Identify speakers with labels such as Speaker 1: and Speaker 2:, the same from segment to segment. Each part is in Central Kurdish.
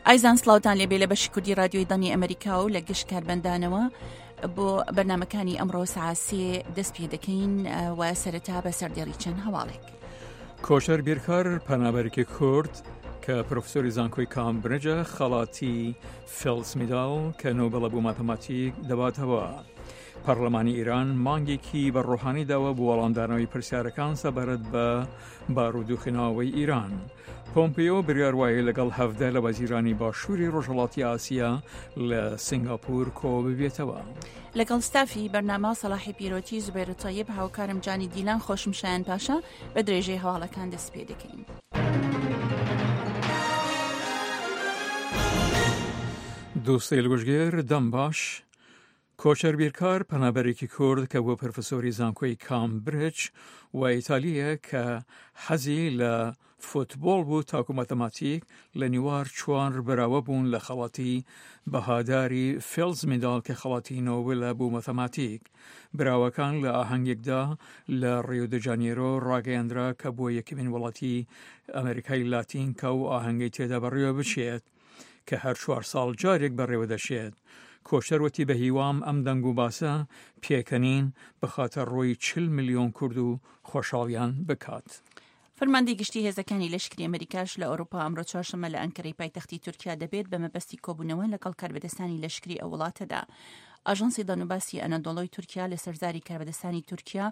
Speaker 1: ئایزان سڵاوتان لێبێ لە بەشی کوردی رادیۆی دەنگی ئەمریکا و لە گشت کاربەندانەوە بۆ بەرنمەکانی ئەمڕۆ سعاسێ دەست پێ دەکەین و سەرەتا بە سەردێڕی چەند هەواڵێک.
Speaker 2: کۆچەر بیرکار پەنابەرێکی کورد کە پرۆفسۆری زانکۆی کامبرجە خەڵاتی فێڵس میداڵ کە نۆبڵە بۆ ماتەماتیک دەباتەوە. پەرلەمانی ئیران مانگێکی بە ڕۆحانی داوە بۆ وەڵامدانەوەی پرسیارەکان سەبارەت بە بارودۆخی ناوەوەی ئیران. پۆمپیۆ بریار وایە لەگەڵ هەڤدە لە وەزیرانی باشووری ڕۆژهەڵاتی ئاسیا لە سنگاپور کۆ ببێتەوە.
Speaker 1: لەگەڵ ستافی بەرنامە سەڵاحی پیرۆتی، زوبێر تەیب، هاوکارم جانی دیلان، خۆشم شایان پاشا، بە درێژەی هەواڵەکان دەست پێ دەکەین.
Speaker 2: دوستەیل گوشگێر دەم باش کۆچەر بیرکار پەنابەرێکی کورد کە بووە پرفسۆری زانکۆی کامبرج و ئیتالییە کە حەزی لە فوتبۆڵ بوو تاکو ماتەماتیک لە نیوار چوار براوە بوون لە خەڵاتی بەهاداری فێڵز میداڵ کە خەڵاتی نۆبلە بۆ ماتەماتیک. براوەکان لە ئاهەنگێکدا لە ڕیۆ دە جانێرۆ ڕاگەیەندرا کە بووە یەکەمین وڵاتی ئەمریکای لاتین کە ئەو ئاهەنگەی تێدا بەڕێوە بچێت. کە هەر چوار ساڵ جارێک بەڕێوە دەچێت. کۆچەر وتی بە هیوام ئەم دەنگ و باسە پێکەنین بخاتە ڕووی 40 ملیۆن کورد و خۆشحاڵیان بکات.
Speaker 1: فەرماندەی گشتی هێزەکانی لەشکری ئەمریکاش لە ئەوروپا ئەمڕۆ چوارشەممە لە ئەنکەرەی پایتەختی تورکیا دەبێت بە مەبەستی کۆبوونەوە لەگەڵ کاربەدەستانی لەشکری ئەو وڵاتەدا. ئاژانسی دەنوباسی ئەنەدۆڵۆی تورکیا لەسەر زاری کاربەدەستانی تورکیا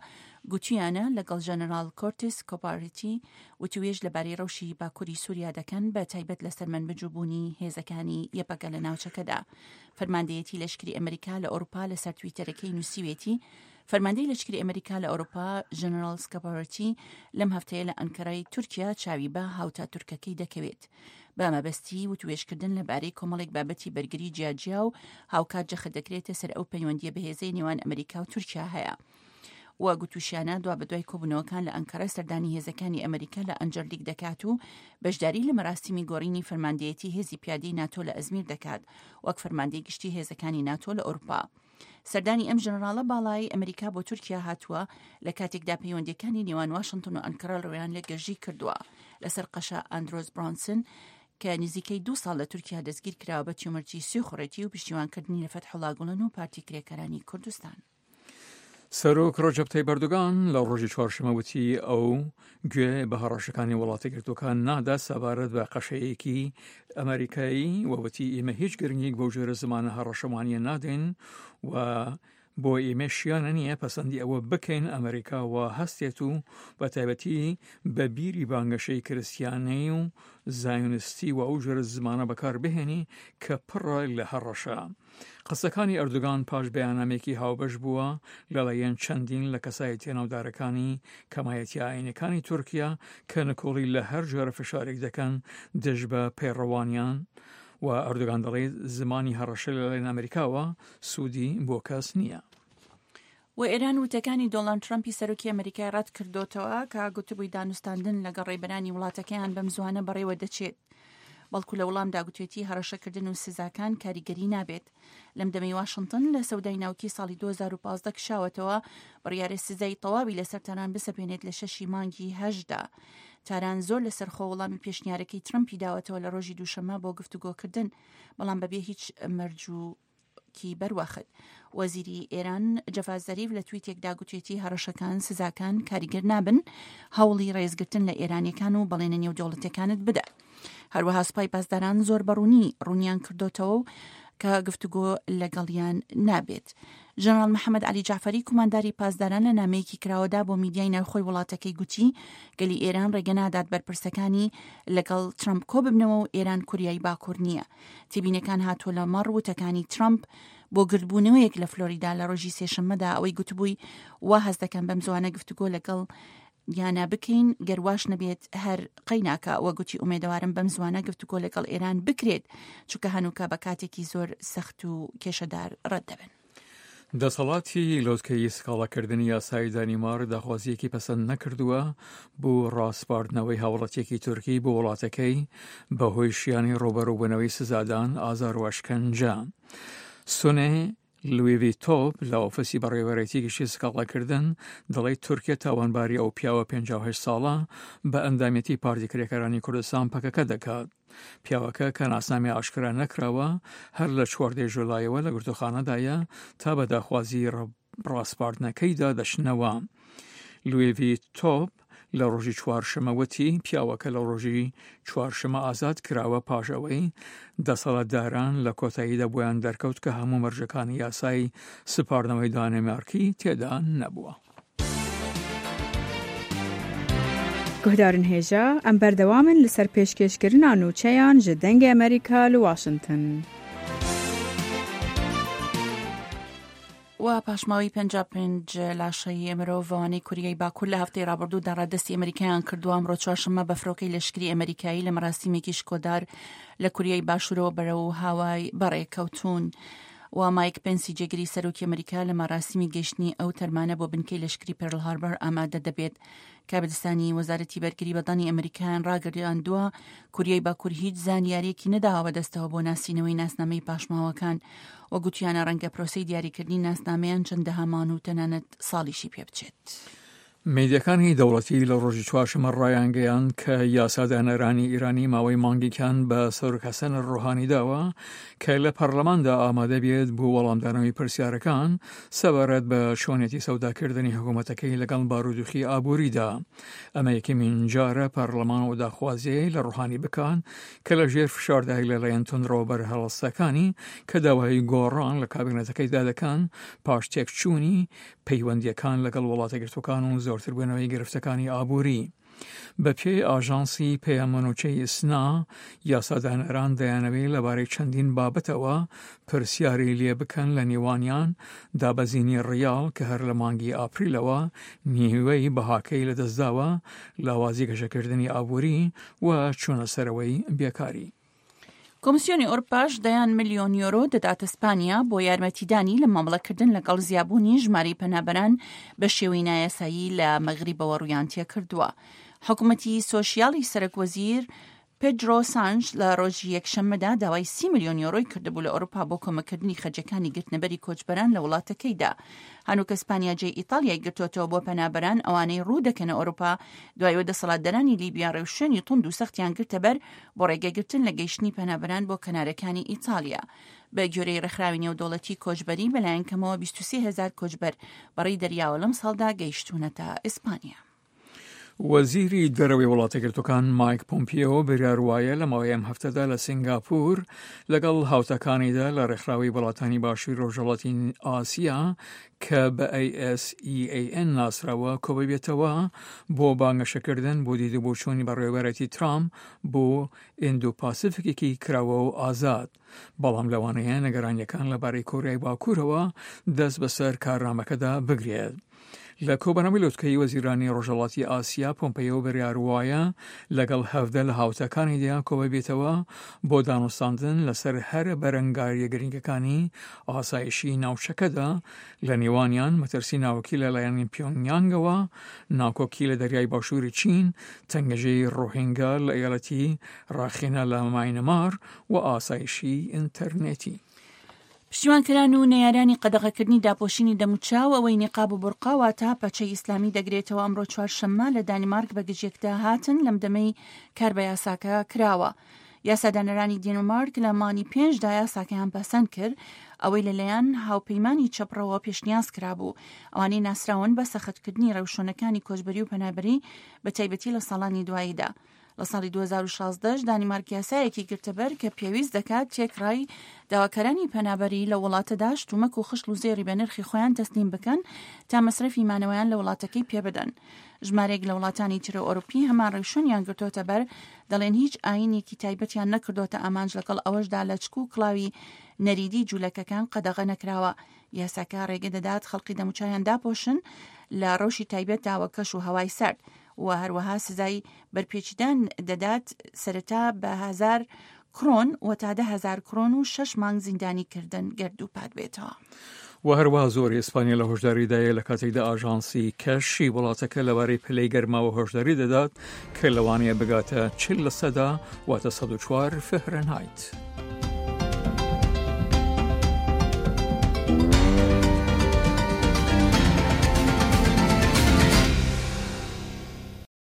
Speaker 1: گوتویانە لەگەڵ ژەنەراڵ کۆرتس کۆپارتی وتوێژ لەبارەی ڕەوشی باکووری سووریا دەکەن، بە تایبەت لەسەر مەنبج و بوونی هێزەکانی یەپەگە لە ناوچەکەدا. فەرماندەیەتی لەشکری ئەمریکا لە ئەوروپا لەسەر تویتەرەکەی نووسیوێتی، فەرماندەی لەشکری ئەمریکا لە ئەوروپا ژەنەراڵ سکاپارۆتی لەم هەفتەیە لە ئەنکەرای تورکیا چاوی بە هاوتا تورکەکەی دەکەوێت بە مەبەستی وتوێژکردن لەبارەی کۆمەڵێک بابەتی بەرگری جیاجیا و هاوکات جەخت دەکرێتە سەر ئەو پەیوەندییە بەهێزەی نێوان ئەمریکا و تورکیا هەیە. و گوتوشیانە دوابەدوای کۆبوونەوەکان لە ئەنکەرە سەردانی هێزەکانی ئەمریکا لە ئەنجەرلیک دەکات و بەشداری لە مەراسیمی گۆڕینی فەرماندەیەتی هێزی پیادەی ناتۆ لە ئەزمیر دەکات وەک فەرماندەی گشتی هێزەکانی ناتۆ لە ئەوروپا. سەردانی ئەم ژەنەراڵە باڵایەی ئەمریکا بۆ تورکیا هاتووە لە کاتێکدا پەیوەندیەکانی نێوان واشنتن و ئەنکەرە ڕویان لە گەرژی کردووە لەسەر قەشە ئەندرۆس برانسن کە نزیکەی دوو ساڵ لە تورکیا دەستگیر کراوە بە تیومرتی سیخوڕێتی و پشتیوانکردنی لە فەتحوڵا گوڵن و پارتی کرێکارانی کوردستان.
Speaker 2: سەرۆک ڕەجەب تەیب ئەردۆگان لە ڕۆژی چوارشەممە وتی ئەو گوێ بە هەڕەشەکانی وڵاتە یەکگرتووەکان نادا سەبارەت بە قەشەیەکی ئەمریکایی و وتی ئێمە هیچ گرنگیک بەو جۆرە زمانە هەڕەشەمانیە نادەین و بۆ ئێمە شیانە نییە پەسەندی ئەوە بکەین ئەمریکا و هەستێت و بە تایبەتی بە بیری بانگەشەی کرستیانەی و زایۆنستی و ئەو جۆرە زمانە بەکار بهێنی کە پڕە لە هەڕەشە. قسەکانی ئەردۆگان پاش بەیاننامەیەکی هاوبەش بووە لەلایەن چەندین لە کەسایەتیە ناودارەکانی کەمایەتیە ئاینەکانی تورکیا کە نکۆڵی لە هەر جۆرە فشارێک دەکەن دژ بە پەیڕەوانیان و ئەردۆگان دەڵێت زمانی هەڕەشە لەلایەن ئەمریکاوە سوودی بۆ کەس نییە.
Speaker 1: و ئێران وتەکانی دۆناڵد ترەمپی سەرۆکی ئەمریکای ڕەت کردۆتەوە کە گوتبووی دانوستاندن لەگەڵ ڕێبەرانی وڵاتەکەیان بەم زوانە بەڕێوە دەچێت. بەڵکو لە وڵامدا گوتێتی هەڕەشەکردن و سزاکان کاریگەری نابێت. لەم دەمەی واشنتن لە سەودای ناوکی ساڵی 2015 کشاوەتەوە، بڕیارە سزای تەواوی لەسەر تاران بسەپێنێت لە شەشی مانگی هەشتدا. تاران زۆر لەسەرخۆ وەڵامی پێشنیارەکەی ترەمپی داوەتەوە لە ڕۆژی دووشەممە بۆ گفتوگۆکردن، بەڵام بەبێ هیچ مەرج و کی بەروەخت. وەزیری ئێران جەڤاد زەریف لە تویتێکدا گوتێتی هەڕەشەکان، سزاکان کاریگەر نابن، هەوڵی ڕێزگرتن لە ئێرانیەکان و بەڵێنە نێودەوڵەتیەکانت بدە. هەروەها سوپای پاسداران زۆر بەڕوونی ڕوونیان کردۆتەوە و کە گفتوگۆ لەگەڵیان نابێت. ژەنەراڵ محەمەد عەلی جەعفەری کومانداری پاسداران لە نامەیەکی کراوەدا بۆ میدیای ناوخۆی وڵاتەکەی گوتی گەلی ئێران ڕێگە نادات بەرپرسەکانی لەگەڵ ترەمپ کۆببنەوە و ئێران کوریای باکوور نییە. تێبینەکان هاتووە لە مەڕ وتەکانی ترەمپ بۆ گردبوونەوەیەک لە فلۆریدا لە ڕۆژی سێشەممەدا ئەوەی گوتبووی وا هەست دەکەم بەم زوانە گفتوگۆ لەگەڵ یانە بکەین گەر واش نەبێت هەر قەیناکە وە گوتی ئومێدەوارم بەم زوانە گفتوگۆ لەگەڵ ئێران بکرێت چونکە هەنووکە بە کاتێکی زۆر سەخت و کێشەدار ڕەت دەبن.
Speaker 2: دەسەڵاتی لوتکەی سکاڵاکردنی یاسایی دانیمارک داخوازییەکی پەسەند نەکردووە بۆ ڕاسپاردنەوەی هاوڵاتییەکی تورکی بۆ وڵاتەکەی بەهۆی شیانی ڕووبەڕووبوونەوەی سزادان، ئازار و ئەشکەنجە. سونێ. لویڤی تۆپ لە ئۆفیسی بەڕێوەبەرێتی گشتی سکاڵاکردن دەڵێت تورکیا تاوانباری ئەو پیاوە 58 ساڵە بە ئەندامێتی پارتی کرێکارانی کوردستان پەکەکە دەکات. پیاوەکە کە ناسنامی ئاشکرا نەکراوە هەر لە چواردەی ژولایەوە لە گرتوخانەدایە تا بە داخوازی ڕاسپاردنەکەیدا دەچنەوە. لوێڤی تۆپ لە ڕۆژی چوارشەمە وتی پیاوەکە لە ڕۆژی چوارشەمە ئازاد کراوە پاش ئەوەی دەسەڵاتداران لە کۆتاییدا بۆیان دەرکەوت کە هەموو مەرجەکانی یاسای سپاردنەوەی دانیمارکی تێدا نەبووە.
Speaker 3: Guhdarên hêja, em berdewam in li ser pêşkêşkirina nûçeyan ji Dengê Amerîka li Washington.
Speaker 1: و پاشماوەی 55 لاشەی مرۆڤەوانەی کوریای باکوور لە هەفتەی ڕابردوودا ڕادەستی ئەمریکایان کردووە، ئەمڕۆ چوارشەممە بە فرۆکەی لەشکری ئەمریکایی لە مەراسیمێکی شکۆدار لە کوریای باشوورەوە بەرەو هاوای بەڕێکەوتوون. و مایک پێنسی جێگری سەرۆکی ئەمریکا لە مەراسیمی گەیشتنی ئەو تەرمانە بۆ بنکەی لەشکری پێرل هاربەر ئامادە دەبێت. کاربەدەستانی وەزارەتی بەرگری بەدانی ئەمریکایان ڕاگەیاندووە کوریای باکوور هیچ زانیاریەکی نەداوە بەدەستەوە بۆ ناسینەوەی ناسنامەی پاشماوەکان و گوتیانە ڕەنگە پرۆسەی دیاریکردنی ناسنامەیان چەندەها مان و تەنانەت ساڵیشی پێ بچێت.
Speaker 2: میدیاکانی دەوڵەتی لە ڕۆژی چوارشەممە ڕایانگەیاند کە یاسادانەرانی ئیرانی ماوەی مانگێکیان بە سەرۆک حەسەن ڕۆحانی داوە کە لە پەرلەماندا ئامادە بێت بۆ وەڵامدانەوەی پرسیارەکان سەبارەت بە چۆنێتی سەوداکردنی حکوومەتەکەی لەگەڵ بارودۆخی ئابووریدا. ئەمە یەکەمین جارە پەرلەمان ئەو داخوازیەی لە ڕۆحانی بکات کە لە ژێر فشاردای لەلایەن توندڕەوە بەرهەڵستەکانی کە داوای گۆڕان لە کابینەتەکەیدا دەکەن پاش تێکچوونی پەیوەندییەکان لەگەڵ وڵاتەگرتووەکان و زۆرتربوونەوەی گرفتەکانی ئابووری. بەپێی ئاژانسی پەیامەنوچەی ئیسنا، یاسادانەران دەیانەوێت لەبارەی چەندین بابەتەوە پرسیاری لێ بکەن لە نێوانیان دابەزینی ڕیاڵ کە هەر لە مانگی ئاپریلەوە نیوەی بەهاکەی لەدەستداوە، لاوازی گەشەکردنی ئابووری و چوونەسەرەوەی بێکاری.
Speaker 1: کۆمسیۆنی ئەوروپاش دەیان ملیۆن یۆرۆ دەداتە سپانیا بۆ یارمەتیدانی لە مامەڵەکردن لەگەڵ زیابوونی ژمارەی پەنابەران بە شێوەی نایاسایی لە مەغریبەوە ڕوویان تێکردووە. حکومەتی سۆشیالی سەرەک وەزیر پێدرۆ سانش لە ڕۆژی یەکشەممەدا داوای سی ملیۆن یۆرۆی کردبوو لە ئەوروپا بۆ کۆمەکردنی خەرجەکانی گرتنەبەری کۆچبەران لە وڵاتەکەیدا. هەنووکە سپانیا جێی ئیتاڵیای گرتۆتەوە بۆ پەنابەران ئەوانەی ڕوو دەکەنە ئەوروپا دوای ئەوەی دەسەڵاتدارانی لیبیا ڕێوشوێنی توند و سەختیان گرتەبەر بۆ ڕێگەگرتن لە گەیشتنی پەنابەران بۆ کەنارەکانی ئیتاڵیا. بە گوێرەی ڕێکخراوی نێودەوڵەتی کۆچبەری، بەلایەن کەمەوە 23 هەزار کۆچبەر بەڕێی دەریاوە لەمساڵدا گەیشتوونەتە ئیسپانیا.
Speaker 2: وەزیری دەرەوەی وڵاتەگرتوەکان مایک پۆمپیۆ بریار وایە لە ماوەی ئەم هەفتەدا لە سنگاپور لەگەڵ هاوتاکانیدا لە ڕێکخراوی وڵاتانی باشووری ڕۆژهەڵاتی ئاسیا کە بە ASEAN ناسراوە کۆببێتەوە بۆ بانگەشەکردن بۆ دید و بۆچوونی بەڕێوەبەرایەتی ترامپ بۆ ئیندۆ پاسیفیکێکی کراوە و ئازاد. بەڵام لەوانەیە نگەرانیەکان لەبارەی کۆریای باکوورەوە دەست بەسەر کارنامەکەدا بگرێت. لە کۆبەنەوەی لوتکەی وەزیرانی ڕۆژهەڵاتی ئاسیا پۆمپەیۆ بڕیار وایە لەگەڵ 17 لە هاوتاکانیدا کۆببێتەوە بۆ دانوستاندن لەسەر هەرە بەرەنگاریە گرنگەکانی ئاسایشی ناوچەکەدا لە نێوانیان مەترسی ناوکی لەلایەن پیۆنگیانگەوە، ناکۆکی لە دەریای باشووری چین، تەنگەژەی ڕۆهینگا لە ئیالەتی ڕاخینە لە ماینمار و ئاسایشی ئینتەرنێتی.
Speaker 1: پشتیوانکەران و نەیارانی قەدەغەکردنی داپۆشینی دەموچاو، ئەوەی نیقاب و بورقا واتە پەچەی ئیسلامی دەگرێتەوە، ئەمڕۆ چوارشەممە لە دانیمارک بە گژیەکدا هاتن لەم دەمەی کار بە یاساکە کراوە. یاسادانەرانی دینمارک لە مانگی پێنجدا یاساکەیان پەسەند کرد، ئەوەی لەلایەن هاوپەیمانی چەپڕەوە پێشنیاز کرابوو، ئەوانەی ناسراون بە سەختکردنی ڕێوشوێنەکانی کۆچبەری و پەنابەری بەتایبەتی لە ساڵانی دواییدا. لە ساڵی 2016 دانیمارک یاسایەکی گرتەبەر کە پێویست دەکات تێکڕای داواکارانی پەنابەری لە وڵاتەدا شتومەک و خشڵ و زێڕی بە نرخی خۆیان تەسلیم بکەن تا مەسرەفی مانەوەیان لە وڵاتەکەی پێبدەن. ژمارەیەک لە وڵاتانی تر ئەوروپی هەمان ڕێوشوێنیان گرتۆتە بەر، دەڵێن هیچ ئایینێکی تایبەتیان نەکردۆتە ئامانج لەگەڵ ئەوەشدا لەچک و کڵاوی نەریدی جولەکەکان قەدەغە نەکراوە. یاساکە ڕێگە دەدات خەڵکی دەموچاویان داپۆشن لە ڕەوشی تایبەتدا وەک کەش و هەوای سارد و هەروەها سزای بەرپێچدان دەدات سەرەتا بە هەزار کرۆن و تا 10,000 کرۆن و شەش مانگ زیندانی کردن گەر دووپات بێتەوە.
Speaker 2: و هەروەها زۆری ئیسپانیا لە هۆشداریدایە لە کاتێکدا ئاژانسی کەشی وڵاتەکە لەبارەی پلەی گەرماوە هۆشداری دەدات کە لەوانەیە بگاتە 40 لەسەدا واتە 104 فهرنهایت.